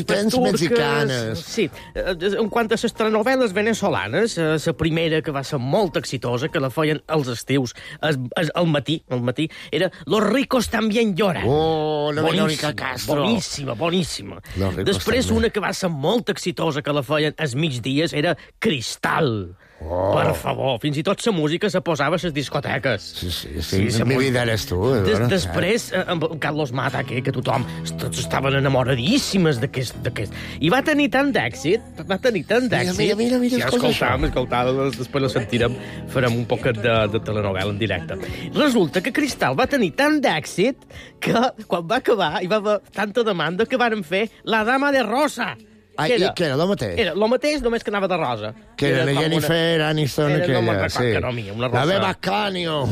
tens mexicanes. Sí, en quant a les telenovel·les venezolanes, la primera que va ser molt exitosa, que la feien als estius, al matí, era Los ricos también lloran. Oh, la Verónica Castro. Boníssima. Després una que va ser molt exitosa, que la feien als migdies, era Cristal. Oh. Per favor, fins i tot la música se posava a les discoteques. Sí, mi vida eres tu. Després, amb Carlos Mata, que tothom, tots estaven enamoradíssimes d'aquest. I va tenir tant d'èxit, Mira, escoltam, després la sentirem, farem un poquet de telenovel·la en directe. Resulta que Cristal va tenir tant d'èxit que, quan va acabar, hi va haver tanta demanda que varen fer La Dama de Rosa. Què era, el mateix? Era el mateix, només que anava de rosa. Que era la Jennifer Aniston, aquella, sí. Una rosa. La Beba Canio.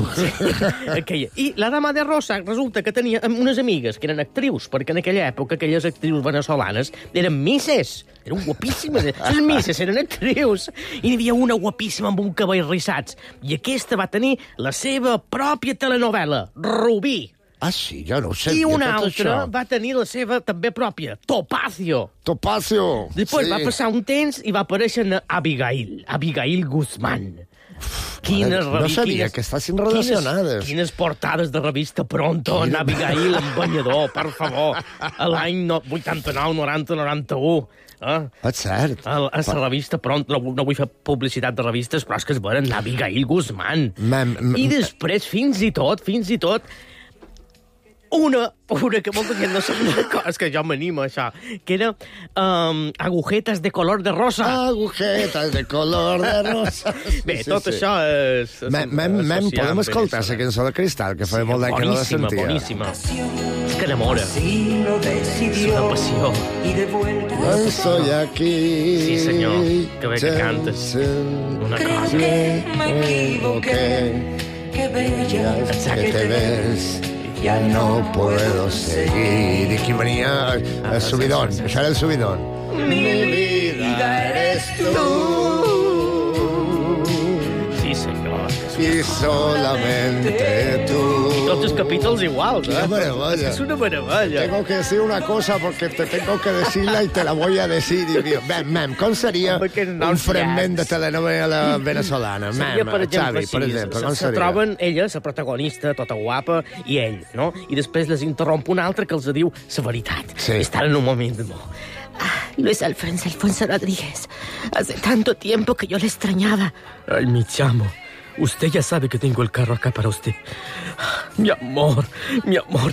Aquella. I la Dama de Rosa resulta que tenia unes amigues que eren actrius, perquè en aquella època aquelles actrius venezolanes eren misses. Eren guapíssimes. Les misses eren actrius. I n'hi havia una guapíssima amb un cabell rissats. I aquesta va tenir la seva pròpia telenovel·la, Rubí. Ah, sí? Jo no ho sabia, I una tot altra això. va tenir la seva també pròpia, Topacio. Sí. Després va passar un temps i va aparèixer Abigail Guzmán. No sabia que estessin relacionades. Quines portades de revista Pronto, en Abigail, en banyador, per favor. A l'any 89, 90, 91. És cert. A la revista Pronto, no vull fer publicitat de revistes, però és que es veuen Abigail Guzmán. I després, fins i tot, una que molta gent no sap una cosa, que jo m'animo a això, que era Agujetas de color de rosa. Agujetas de color de rosa. Bé, tot això és... Podem escoltar la cançó de Cristal, que fa molt d'any que no la sentia. Boníssima. És que enamora. És una passió. Estoy aquí. Sí, senyor. Que bé que cantes. Una cosa. Me equivoqué. Qué bella que te ves. Ya no puedo seguir. I qui venia? El subidón. Això era el subidón. Mi vida eres tú. Sí, senyor. Y solamente tú. Tots els capítols iguals, Qué maravilla. És una meravella. Tengo que decir una cosa porque te tengo que decirla y te la voy a decir. Com seria un fragment de telenovela venezolana? Xavi, per exemple, com se seria? troben ella, la protagonista, tota guapa, i ell, no? I després les interromp un altre que els diu la veritat. Sí. Estan en un moment d'amor. Luis Alfonso Rodríguez, hace tanto tiempo que yo le extrañaba. Ay, mi chamo. Usted ya sabe que tengo el carro acá para usted. Mi amor,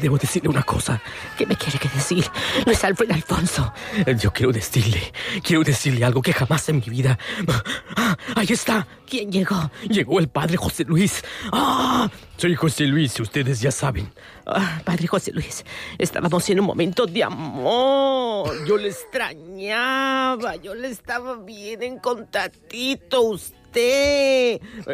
debo decirle una cosa. ¿Qué me quiere que decir? Luis Alfonso. Yo quiero decirle algo que jamás en mi vida... ¡Ahí está! ¿Quién llegó? Llegó el padre José Luis. Soy José Luis, ustedes ya saben. Padre José Luis, estábamos en un momento de amor. Yo le extrañaba, yo le estaba bien en contactito, usted.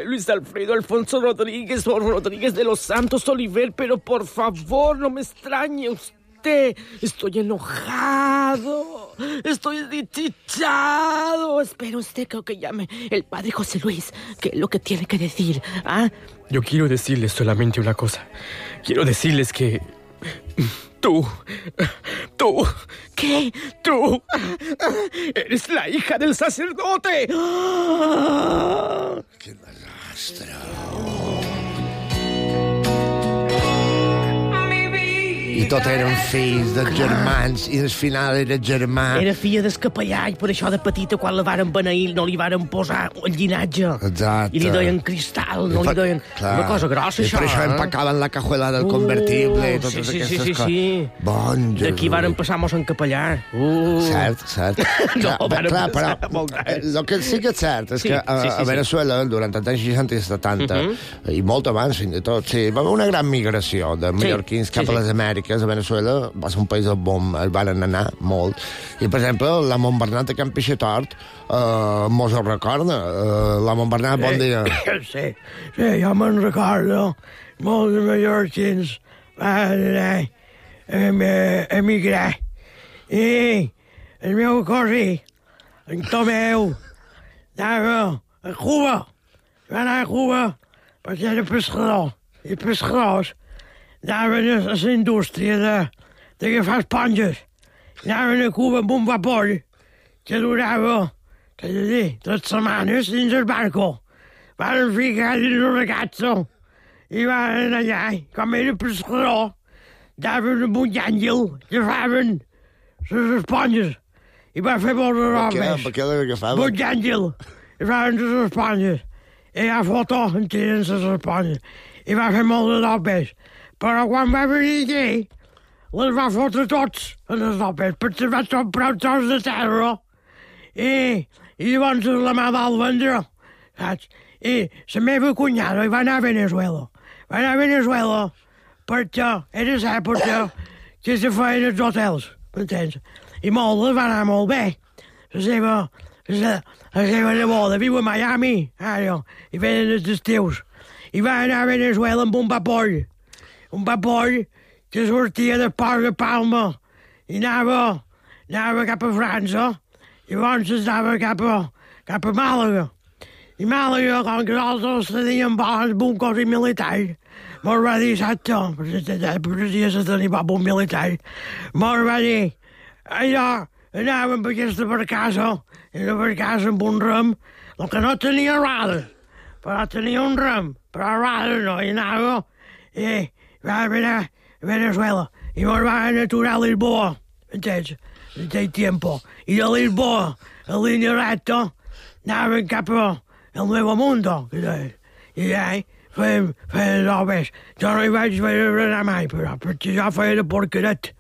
Luis Alfredo Alfonso Rodríguez o Rodríguez de los Santos Oliver, pero por favor no me extrañe usted. Estoy enojado, estoy desdichado. Espera usted que llame el padre José Luis, que es lo que tiene que decir. Yo quiero decirles solamente una cosa. Quiero decirles que... Tú, ¿qué? Tú eres la hija del sacerdote. ¡Qué desastre! I tot eren fills dels germans, i al final era germà. Era filla del capellà, i per això de petita, quan la varen beneir, no li varen posar el llinatge. Exacte. I li deien cristal, no li deien... Una cosa grossa, I això, per això empacaven la cajuela del convertible i totes aquestes coses. Sí. Bon Jesús. D'aquí varen passar mos en capellà. Cert. Però el que sí que és cert és que a Venezuela, durant els anys 60 i 70, i molt abans, fins i tot, sí, va haver una gran migració de mallorquins cap a les Amèriques. A Venezuela va ser un país on van anar molt. I, per exemple, la Montbernat de Can Pixetort mos ho recorda. La Montbernat, bon dia. Sí, jo me'n recordo. Molts mallorquins van emigrar. I el meu cosí, en Tomeu, anava a Cuba. Va anar a Cuba perquè era pescador. I pescadors anaven a la indústria d'agafar esponges. Anaven a Cuba amb un vapor que durava, què he de dir, 3 setmanes dins el barco. Van ficar dins el ragazzo i van anar allà. Com era pescador, anaven amb un àngel que agafaven les esponges i va fer molts robes. Per què l'agafaven? Un àngel, agafaven les esponges. I hi ha foto en tenen les esponges. I va fer molts robes. Però quan va venir aquí, les va fotre tots en les robes, perquè va comprar un tros de terra. I llavors la mà va vendre, saps? I la meva cunyada va anar a Venezuela. Va anar a Venezuela perquè era l'època que se feien els hotels, m'entens? I moltes va anar molt bé. La seva neboda viu a Miami, ara, i venen els estius. I va anar a Venezuela amb un vapor que sortia del port de Palma i anava cap a França, i llavors anava cap a Màlaga. I Màlaga, com que nosaltres teníem bons buncos i militars, mos va dir, exacte, perquè se tenia bon militar, mos va dir, allò, anàvem per aquesta barcassa, i una barcassa amb un rem, el que no tenia radar, però tenia un rem, però radar no, i anava, i va anar a Venezuela, i mos van aturar a Lisboa, entens? En aquell tiempo. I de Lisboa, a línia recta, anaven cap al Nuevo Mundo, que deia. I allà feien robes. Jo no hi vaig anar mai, però, perquè jo feia de porqueret.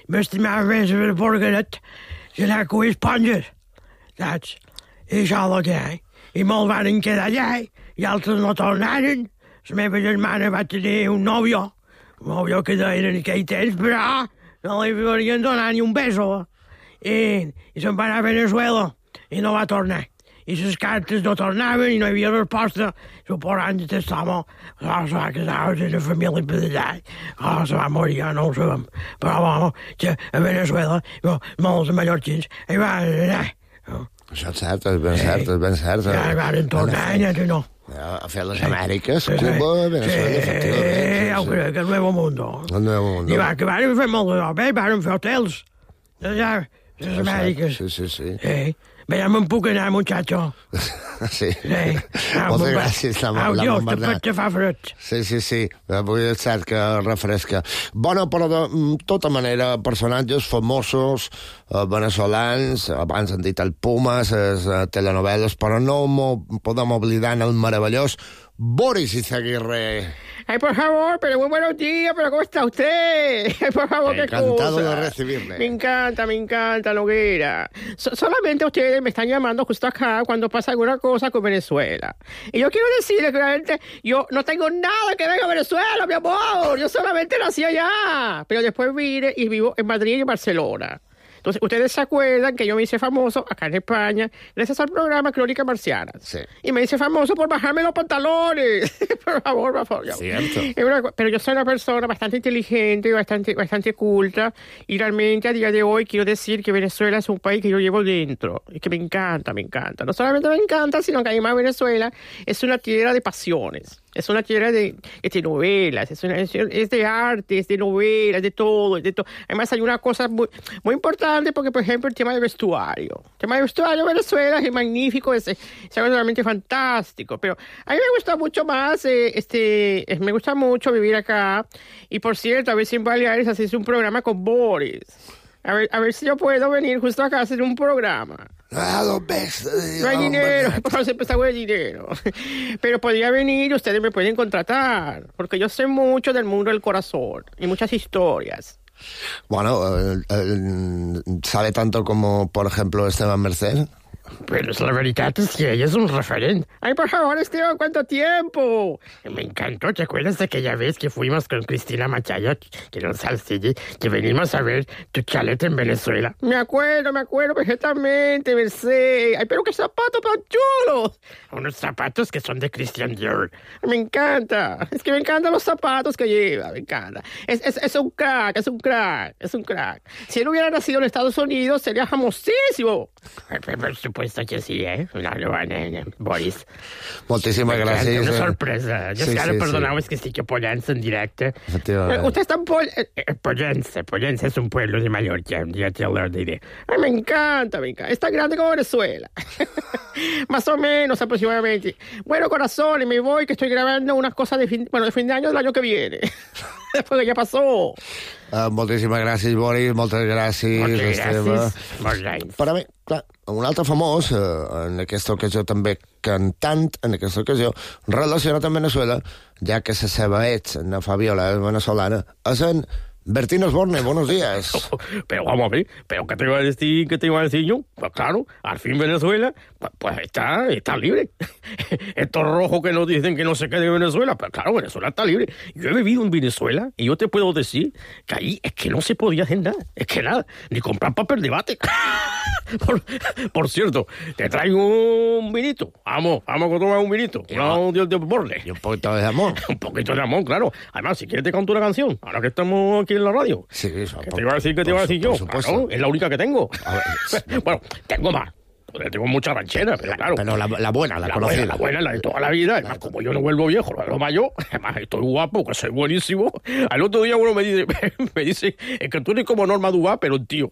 M'estimava més de porqueret que anar a cuir esponges, saps? I això el que hi. I molts van quedar allà, i altres no tornaren. La meva germana va tenir un nòvio que deien en aquell temps, però no li havien donat ni un beso. I se'n va anar a Venezuela i no va tornar. I les cartes no tornaven i no hi havia resposta. Suposant que aquest home se va casar amb una família per allà. Se va morir, no ho sabem. Però bueno, que a Venezuela molts mallorquins hi van anar. Això és cert, és ben cert, és ben cert. Ja van tornar, ja que no. A fer les Amèriques, Cuba, Venezuela, efectivament. Ja ho crec, el Nuevo Mundo. El Nuevo Mundo. I van fer molt de bé, van fer hotels. Allà, les Amèriques. Sí. Ja me'n puc anar, muchacho. Sí. Moltes gràcies, la Montbernat. Te fa fred. Sí. Avui és cert que refresca. Bona, però de tota manera, personatges famosos, venezolans, abans han dit el Pumas, les telenovel·les, però no podem oblidar el meravellós Boris Izaguirre. Ay, por favor, pero muy buenos días, pero ¿cómo está usted? Ay, por favor, qué cosa. Encantado de recibirle. Me encanta, Noguera. Solamente ustedes me están llamando justo acá cuando pasa alguna cosa con Venezuela. Y yo quiero decirles que realmente yo no tengo nada que ver con Venezuela, mi amor. Yo solamente nací allá. Pero después vine y vivo en Madrid y en Barcelona. Entonces, ustedes se acuerdan que yo me hice famoso acá en España gracias al programa Crónica Marciana. Sí. Y me hice famoso por bajarme los pantalones. Por favor. Cierto. Pero yo soy una persona bastante inteligente y bastante culta. Y realmente a día de hoy quiero decir que Venezuela es un país que yo llevo dentro. Y que me encanta. No solamente me encanta, sino que además Venezuela es una tierra de pasiones. Es una tierra de novelas, es de arte, es de novelas, de todo, Además hay una cosa muy, muy importante porque, por ejemplo, el tema del vestuario. El tema del vestuario de Venezuela es magnífico, es algo realmente fantástico. Pero a mí me gusta mucho más, me gusta mucho vivir acá. Y por cierto, a ver si en Baleares haces un programa con Boris. A ver si yo puedo venir justo acá a hacer un programa. No hay dinero, por siempre está de dinero. Pero podría venir y ustedes me pueden contratar, porque yo sé mucho del mundo del corazón y muchas historias. Bueno, ¿sabe tanto como, por ejemplo, Esteban Merced? Pero la verdad es que ella es un referente. Ay, por favor, Esteban, ¿cuánto tiempo? Me encantó. ¿Te acuerdas de aquella vez que fuimos con Cristina Machaya, que nos salsille, que venimos a ver tu chalet en Venezuela? Me acuerdo perfectamente, Merced. Ay, pero qué zapatos tan chulos. Unos zapatos que son de Christian Dior. Me encanta. Es que me encantan los zapatos que lleva, me encanta. Es un crack. Si él hubiera nacido en Estados Unidos, sería famosísimo. Por supuesto que sí, Boris. Moltíssimes gràcies. Una sorpresa. Jo perdoneu, és que estic a Pollença en directe. Usted está en Pollença. Pollença es un pueblo de Mallorca. Ya te lo diré. Ay, me encanta. Es tan grande como Venezuela. Más o menos, aproximadamente. Bueno, corazones, me voy, que estoy grabando unas cosas de fin de año del año que viene. Después que ya passó. Moltíssimes gràcies, Boris, moltes gràcies, Esteve. Per a mi, clar, un altre famós, en aquesta ocasió també cantant, en aquesta ocasió, relacionat amb Venezuela, ja que la seva ex, na Fabiola, és venezolana, és en Bertín Osborne. Buenos días. Pero vamos a ver, ¿pero qué te iba a decir yo? Pues claro, al fin Venezuela, pues está libre. Estos rojos que nos dicen que no se quede en Venezuela, pues claro, Venezuela está libre. Yo he vivido en Venezuela y yo te puedo decir que ahí es que no se podía hacer nada, es que nada, ni comprar papel de bate. Por cierto, te traigo un vinito. Vamos a tomar un vinito. Un Dios de Borne. Y un poquito de amor. Un poquito de amor, claro. Además, si quieres te canto una canción. Ahora que estamos aquí en la radio. Sí, eso. ¿Qué te iba a decir yo? Claro, es la única que tengo. Bueno, tengo más. Tengo mucha ranchera, pero claro. Pero la buena, la conocida. La buena, la de toda la vida. Además, como yo no vuelvo viejo, lo mayor. Además, estoy guapo, que soy buenísimo. Al otro día uno me dice, es que tú eres como Norma Duval, pero un tío.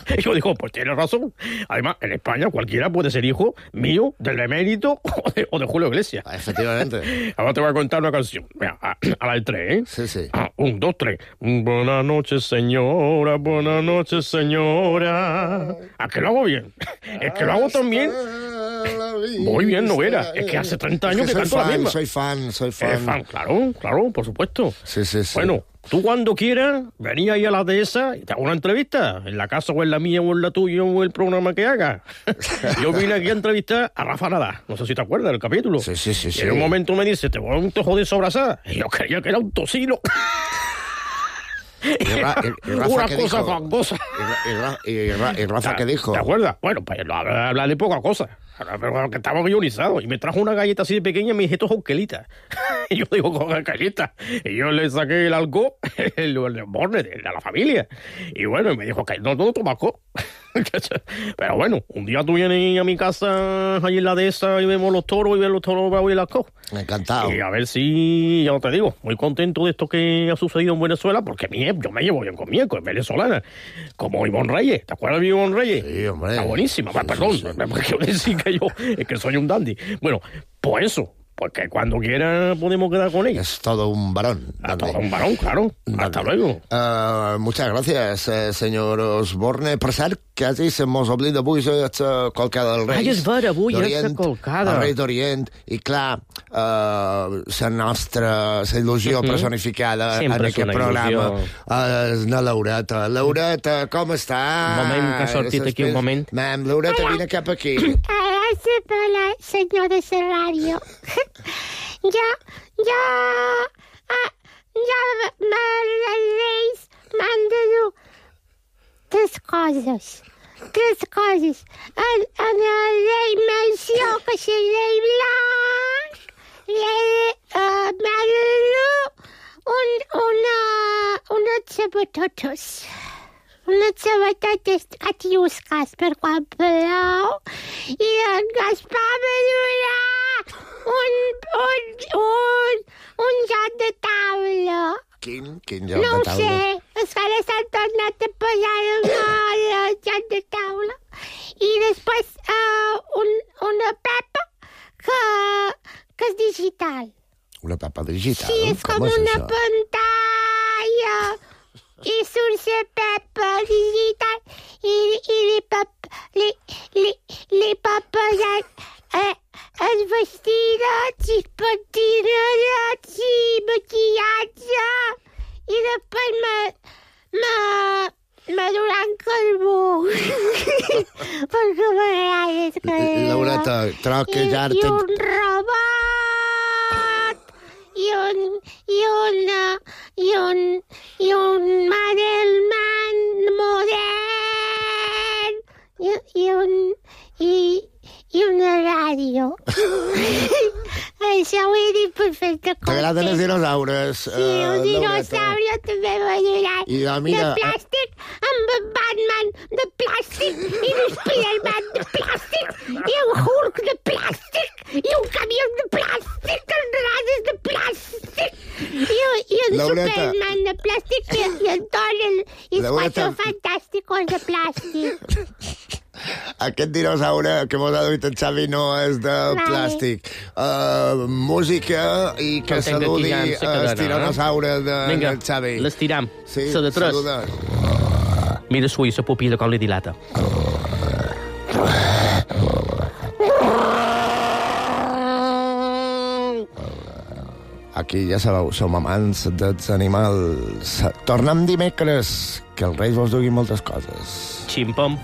Y yo digo, pues tienes razón. Además, en España cualquiera puede ser hijo mío, del emérito o de Julio Iglesias. Efectivamente. Ahora te voy a contar una canción. Mira, a la del 3, ¿eh? Sí, sí. 1, 2, 3. Buenas noches, señora. Buenas noches, señora. ¿A que lo hago bien? Es que lo hago tan bien. Muy bien, Noguera. Es que hace 30 años que canto la misma. Soy fan. Claro, por supuesto. Sí. Bueno, tú cuando quieras, vení ahí a la dehesa y te hago una entrevista. En la casa o en la mía o en la tuya o en el programa que haga. Yo vine aquí a entrevistar a Rafa Nadal. No sé si te acuerdas del capítulo. Sí. Y en un momento me dice, te voy a un tojo de sobrasada. Y yo creía que era un tocino. Una cosa fangosa. ¿Y Rafa qué dijo? ¿Te acuerdas? Bueno, pues habla de poca cosa. Pero que estaba guionizado. Y me trajo una galleta así de pequeña y me dije, esto es Onkelita. Y yo digo, con Onkelita. Y yo le saqué el alcohol, el borne de la familia. Y bueno, y me dijo que no tomaco. Pero bueno, un día tú vienes a mi casa ahí en la dehesa y vemos los toros y ves los toros bravos y las cosas. Encantado. Y a ver si, ya te digo, muy contento de esto que ha sucedido en Venezuela, porque yo me llevo bien con mi eco, es venezolana. Como Ivonne Reyes, ¿te acuerdas de Ivonne Reyes? Sí, hombre. Está buenísima. Perdón, quiero decir que yo es que soy un dandy. Bueno, pues eso. Porque cuando quiera podemos quedar con ella. Es todo un varón. Todo un varón, claro. Hasta luego. Muchas gracias, señor Osborne. Per cert, quasi se mos oblida avui la colcada dels Reis. Ai, és vera, avui és la colcada. El Rei d'Orient. I clar, la il·lusió personificada en aquest programa és la Laureta. Laureta, com està? Un moment, que ha sortit aquí un moment. Laureta, vine cap aquí. Hola, senyor de la ràdio. Ja els Reis m'han de dur tres coses. En el rei Melcior, que és el rei blanc, m'ha de dur unes sabatotes. Unes sabatotes catiusques per quan plou i en Gaspar me durà un joc de taula. Quin joc No de ho taula? sé, és que ara s'han tornat a posar el joc de taula. I després una pepa que és digital. Una papa digital? Sí, és com una pantalla. I surt la pepa digital li pot posar els vestidets i pentinadets i maquillatge i després me duran carbó perquè m'agrada que Laureta, troquejar-te... I un robot i un Madelman modern i una ràdio. Això ho he dit per fer-te compte. T'agraden els dinosaures, Sí, un dinosaurio també m'agrada. I mira... De plàstic, amb en Batman de plàstic, i l'Spiderman de plàstic, i un Hulk de plàstic, i un camió de plàstic, amb rases de plàstic, i un Superman de plàstic, i en Thor i els Quatre Fantàsticos de plàstic. Aquest dinosaure que mos ha duit el Xavi no és de plàstic. Música i que saludi el tiranosaure del Xavi. L'estiram. Sí, La de tres. saluda. Mira sui, la pupila com li dilata. Aquí ja sabeu, som amants dels animals. Tornem dimecres, que els Reis vos duguin moltes coses. Ximpom.